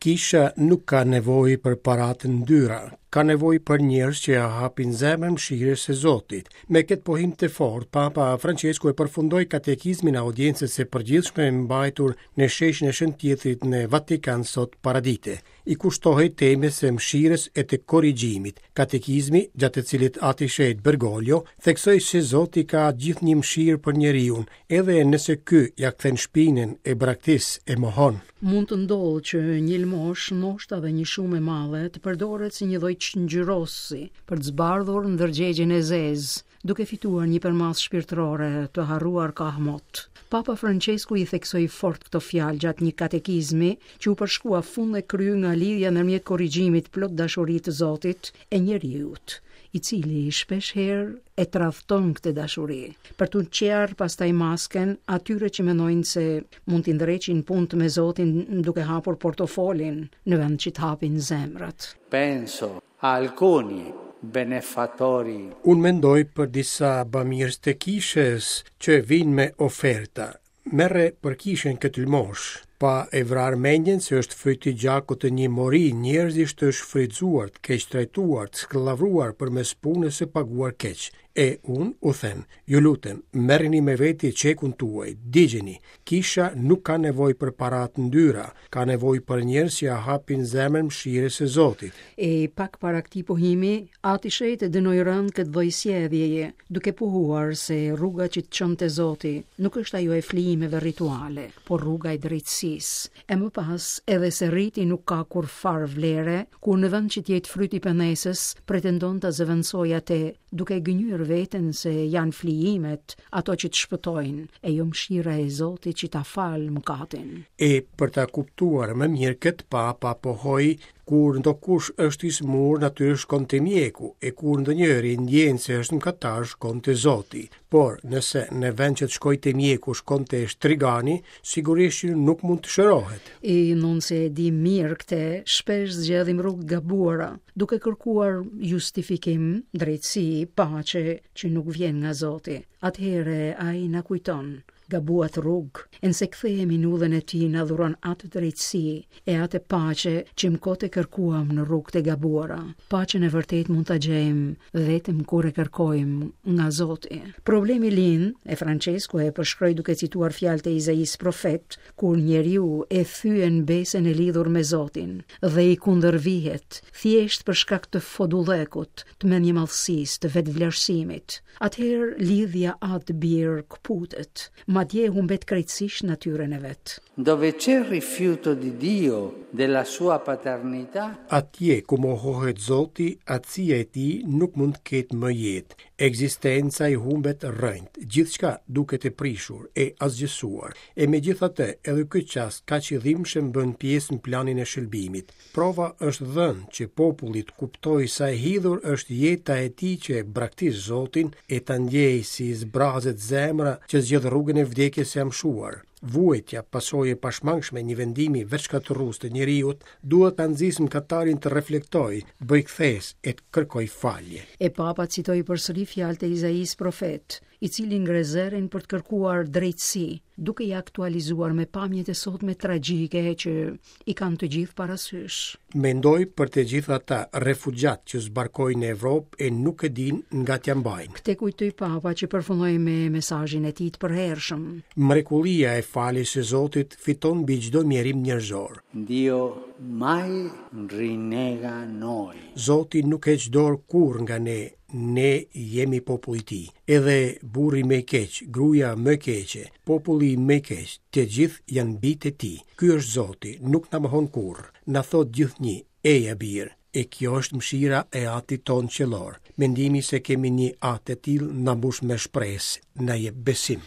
Kisha nuk ka nevojë për para të ndyra, ka nevojë për njerëz që ia hapin zemrën mëshirës së Zotit. Me këtë pohim të fortë, Papa Françesku e përfundoi katekizmin e audiencës së përgjithshme mbajtur në sheshin e Shën Pjetrit në Vatikan sot paradite. I kushtohej temës së mëshirës e të korrigjimit. Katekizmi, gjatë të cilit Ati i Shenjtë Bergoglio theksoi se Zoti ka gjithnjë mëshirë për njeriun, edhe nëse ky ia kthen shpinën, e braktis, e mohon. Mund të ndodhë që një lëmoshë, ndoshta dhe një shumë e madhe, të përdoret si një lloj çngjyrosësi për të zbardhur ndërgjegjen e zezë, duke fituar një përmasë shpirtërore të harruar kahmot. Papa Françesku i theksoi fort këto fjalë gjatë një katekizmi që u përshkua fund e krye nga lidhja ndërmjet korrigjimit plot dashuri të Zotit e njeriut, i cili shpesh herë e tradhton këtë dashuri, për t'u çarë pastaj masken atyre që mendojnë se mund t'i ndreqin punët me Zotin duke hapur portofolin në vend që të hapin zemrat. Penso a alcuni benefattori. Unë mendoj për disa bamirës të kishës që vijnë me oferta. Merre për kishën këtë lëmoshë, pa e vrarë mendjen se është fryt i gjakut të një mori njerëzish të shfrytëzuar, të keqtrajtuar, të skllavëruar përmes punës së paguar keq. E unë u them, ju lutem, merreni me veti çekun tuaj, digjeni. Kisha nuk ka nevojë për para të ndyra, ka nevojë për njerëz që ia hapin zemrën mëshirës së Zotit. E pak para këtij pohimi, Ati i Shenjtë e dënoi rëndë këtë lloj sjelljeje, duke pohuar se rruga që të çon te Zoti nuk është ajo e flijimeve rituale, por rruga e drejtësisë. E më pas, edhe se riti nuk ka kurrfarë vlere, kur në vend që të jetë fryt i pendesës, pretendon ta zëvendësojë atë, duke e gënjyer veten se janë flijimet ato që të shpëtojnë, e jo mëshira e Zotit që ta fal mëkatin. E për ta kuptuar më mirë këtë Papa pohoi Kur ndokush është i sëmurë, natyrisht shkon te mjeku, e kur ndonjëri ndjen se është mëkatar, shkon te Zoti. Por, nëse në vend që të shkojë te mjeku, shkon te shtrigani, sigurisht që nuk mund të shërohet. E ndonëse e dimë mirë këtë, shpesh zgjedhim rrugë të gabuara, duke kërkuar justifikim, drejtësi, paqe që nuk vjen nga Zoti. Atëherë ai na kujton, Gabuat rrugë, e nëse kthehemi në udhën e tij na dhuron atë drejtësi e atë paqe që më kot e kërkuam në rrugët e gabuara. Paqen e vërtetë mund ta gjejmë vetëm kur e kërkojmë nga Zoti. Problemi lind, e Françesku e përshkroi duke cituar fjalët e Izaisë profet, kur njeriu e thyen besën e lidhur me Zotin dhe i kundërvihet, thjesht për shkak të fodullëkut, të mendjemadhësisë, të vetëvlerësimit. Atëherë lidhja atë-bir këputet, madje humbet krejtësisht natyrën e vet. Dove c'è rifiuto di Dio, della sua paternità. Atje ku mohohet Zoti, atësia e tij nuk mund të ketë më jetë. Ekzistenca i humbet rrënjët, gjithçka duket e prishur, e asgjësuar. E megjithatë, edhe ky çast kaq i dhimbshëm bën pjesë në planin e shëlbimit. Prova është dhënë që populli të kuptojë sa e hidhur është jeta e tij që e braktis Zotin e ta ndjejë si i zbrazet zemra që zgjedh rrugën e vdekjes së amshuar. Vuajtja, pasojë e pashmangshme e një vendimi vetëshkatërrues të njeriut, duhet ta nxisë mëkatarin të reflektojë, të bëjë kthesë e të kërkojë falje. E Papa citoi përsëri fjalët e Izaisë profet, i cili ngre zërin për të kërkuar drejtësi, duke i aktualizuar me pamjet e sotme tragjike që i kanë të gjithë parasysh. Mendoj për të gjithë ata refugjatë që zbarkojnë në Evropë e nuk e dinë nga t'ia mbajnë. Këtë kujtoi Papa që përfundoi me mesazhin e tij të përhershëm. Mrekullia e faljes së Zotit fiton mbi çdo mjerim njerëzor. Dio mai rinnega noi. Zoti nuk heq dorë kurrë nga ne, Ne jemi populli i tij. Edhe burri më i keq, gruaja më e keqe, populli më i keq, të gjithë janë bijtë e tij. Ky është Zoti, nuk na mohon kurrë. Na thotë gjithnjë, Eja bir. E kjo është mëshira e Atit tonë qiellor. Mendimi se kemi një Atë të tillë na mbush me shpresë, na jep besim.